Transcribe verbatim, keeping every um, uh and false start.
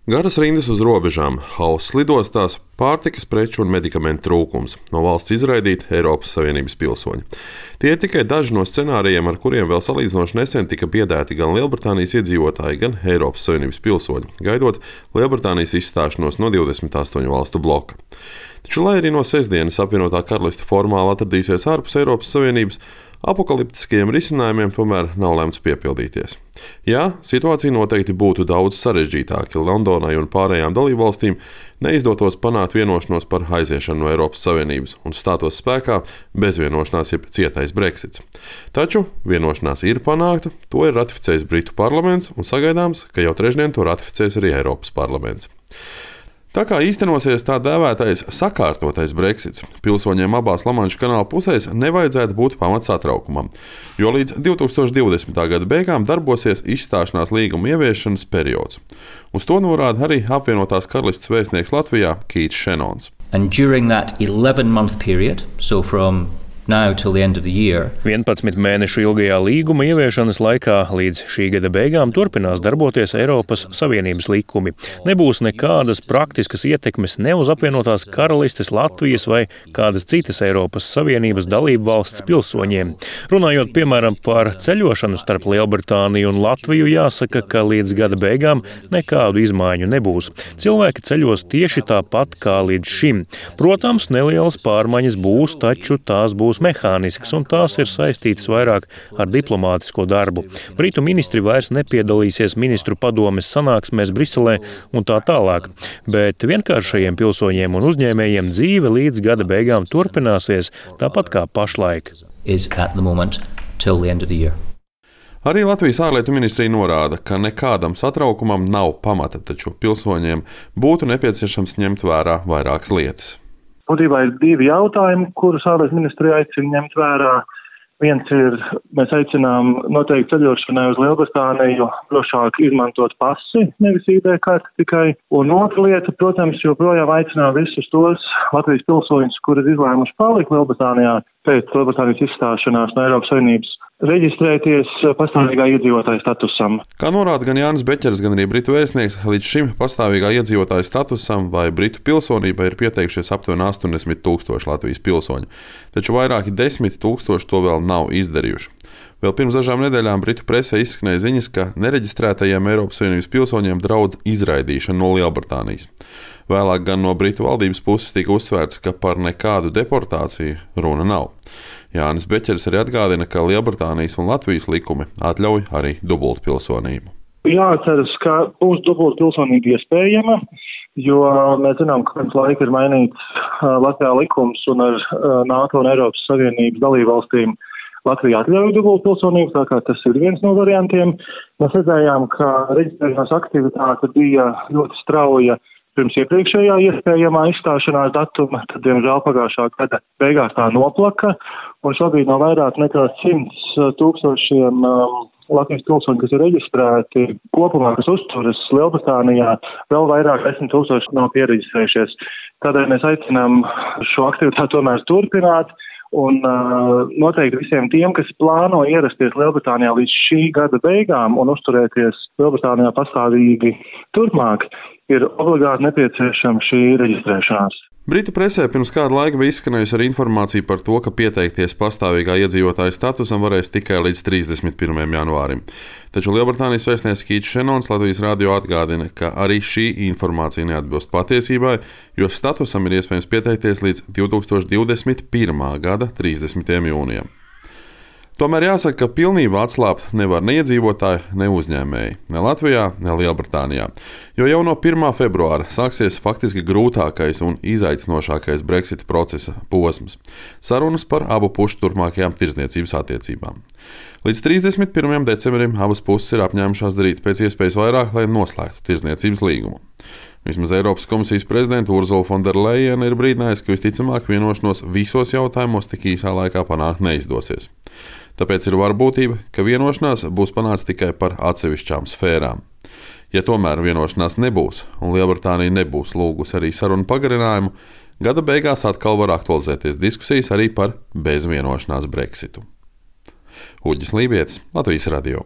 Garas rindas uz robežām, hauss lidostās, pārtikas preču un medikamentu trūkums, no valsts izraidīti Eiropas Savienības pilsoņi. Tie ir tikai daži no scenārijiem, ar kuriem vēl salīdzinoši nesen tika biedēti gan Lielbritānijas iedzīvotāji, gan Eiropas Savienības pilsoņi, gaidot Lielbritānijas izstāšanos no divdesmit astoņu valstu bloka. Taču, lai arī no sestdienas apvienotā karaliste formāli atradīsies ārpus Eiropas Savienības, apokaliptiskajiem risinājumiem tomēr nav lemts piepildīties. Jā, situācija noteikti būtu daudz sarežģītāka, ja Londonai un pārējām dalībvalstīm neizdotos panākt vienošanos par aiziešanu no Eiropas Savienības un stātos spēkā bezvienošanās jeb cietais Brexits. Taču vienošanās ir panākta, to ir ratificējis Britu parlaments un sagaidāms, ka jau trešdien to ratificēs arī Eiropas parlaments. Tā kā īstenosies tā dēvētais sakārtotais Brexits, pilsoņiem abās Lamanša kanāla pusēs nevajadzētu būt pamats satraukumam, jo līdz divi tūkstoši divdesmitā gada beigām darbosies izstāšanās līguma ieviešanas periods. Uz to norāda arī apvienotās karalistes vēstnieks Latvijā Keits Šenons. And during that eleven month period, so from now till the end of the year, vienpadsmit mēnešu ilgajā līguma ieviešanas laikā līdz šī gada beigām turpinās darboties Eiropas Savienības likumi. Nebūs nekādas praktiskas ietekmes ne uz apvienotās karalistes, Latvijas vai kādas citas Eiropas Savienības dalību valsts pilsoņiem. Runājot piemēram par ceļošanu starp Lielbritāniju un Latviju, jāsaka, ka līdz gada beigām nekādu izmaiņu nebūs. Cilvēki ceļos tieši tāpat kā līdz šim. Protams, nelielas pārmaiņas būs, taču tās būs mehānisks, un tās ir saistītas vairāk ar diplomātisko darbu. Britu ministri vairs nepiedalīsies ministru padomes sanāksmēs Briselē un tā tālāk, bet vienkāršajiem pilsoņiem un uzņēmējiem dzīve līdz gada beigām turpināsies tāpat kā pašlaik. Arī Latvijas ārlietu ministrija norāda, ka nekādam satraukumam nav pamata, taču pilsoņiem būtu nepieciešams ņemt vērā vairākas lietas. Būtībā ir divi jautājumi, kurus ārlietu ministrija aicina ņemt vērā. Viens ir, mēs aicinām noteikti ceļošanai uz Lielbritāniju drošāk izmantot pasi, nevis I D karti tikai. Un otra lieta, protams, joprojām aicinām visus tos Latvijas pilsoņus, kuri ir izlēmuši palikt Lielbritānijā pēc Lielbritānijas izstāšanās no Eiropas Savienības, reģistrēties pastāvīgā iedzīvotāja statusam. Kā norāda gan Jānis Beķers, gan arī Britu vēstnieks, līdz šim pastāvīgā iedzīvotāja statusam vai Britu pilsonībai ir pieteikušies aptuveni astoņdesmit tūkstoši Latvijas pilsoņu, taču vairāki desmit tūkstoši to vēl nav izdarījuši. Vēl pirms dažām nedēļām Britu presē izskanēja ziņas, ka nereģistrētajiem Eiropas Savienības pilsoņiem draud izraidīšana no Lielbritānijas. Vēlāk gan no Britu valdības puses tika uzsvērts, ka par nekādu deportāciju runa nav. Jānis Beķers arī atgādina, ka Lielbritānijas un Latvijas likumi atļauj arī dubultpilsonību. Jāatceras, ka būs dubultpilsonība iespējama, jo mēs zinām, ka pirms laika ir mainīts Latvijā likums un ar NATO un Eiropas Savienības dalībvalstīm Latvija atļauj dubultpilsonību, tā kā tas ir viens no variantiem. Mēs redzējām, ka reģistrēšanās aktivitāte bija ļoti strauja pirms iepriekšējā iespējamā izstāšanās datuma, tad, diemžēl, pagājušā gada beigās tā noplaka, un šobrīd no vairāk nekā simts tūkstošiem um, Latvijas pilsoņu, kas ir reģistrēti kopumā, kas uzturas Lielbritānijā, vēl vairāk desmit tūkstoši nav piereģistrējušies. Tādēļ mēs aicinām šo aktivitāti tomēr turpināt, un uh, noteikti visiem tiem, kas plāno ierasties Lielbritānijā līdz šī gada beigām un uzturēties Lielbritānijā pastāvīgi turpmāk, ir obligāti nepieciešama šī reģistrēšanās. Britu presē pirms kāda laika bija izskanējusi arī informācija par to, ka pieteikties pastāvīgā iedzīvotāja statusam varēs tikai līdz trīsdesmit pirmajam janvārim. Taču Lielbritānijas vēstnieks Keits Šenons Latvijas radio atgādina, ka arī šī informācija neatbilst patiesībai, jo statusam ir iespējams pieteikties līdz divi tūkstoši divdesmit pirmā gada trīsdesmitajam jūnijam. Tomēr jāsaka, ka pilnībā atslābt nevar ne iedzīvotāji, ne uzņēmēji, ne Latvijā, ne Lielbritānijā, jo jau no pirmā februāra sāksies faktiski grūtākais un izaicinošākais Brexita procesa posms – sarunas par abu pušu turpmākajām tirdzniecības attiecībām. Līdz trīsdesmit pirmajam decembrim abas puses ir apņēmušās darīt pēc iespējas vairāk, lai noslēgtu tirdzniecības līgumu. Vismaz Eiropas komisijas prezidenta Ursula von der Leyen ir brīdinājusi, ka visticamāk vienošanos visos jautājumos tik īsā laikā panākt neizdosies. Tāpēc ir varbūtība, ka vienošanās būs panākts tikai par atsevišķām sfērām. Ja tomēr vienošanās nebūs un Lielbritānija nebūs lūgusi arī sarunu pagarinājumu, gada beigās atkal var aktualizēties diskusijas arī par bezvienošanās Brexitu. Uģis Lībietis, Latvijas radio.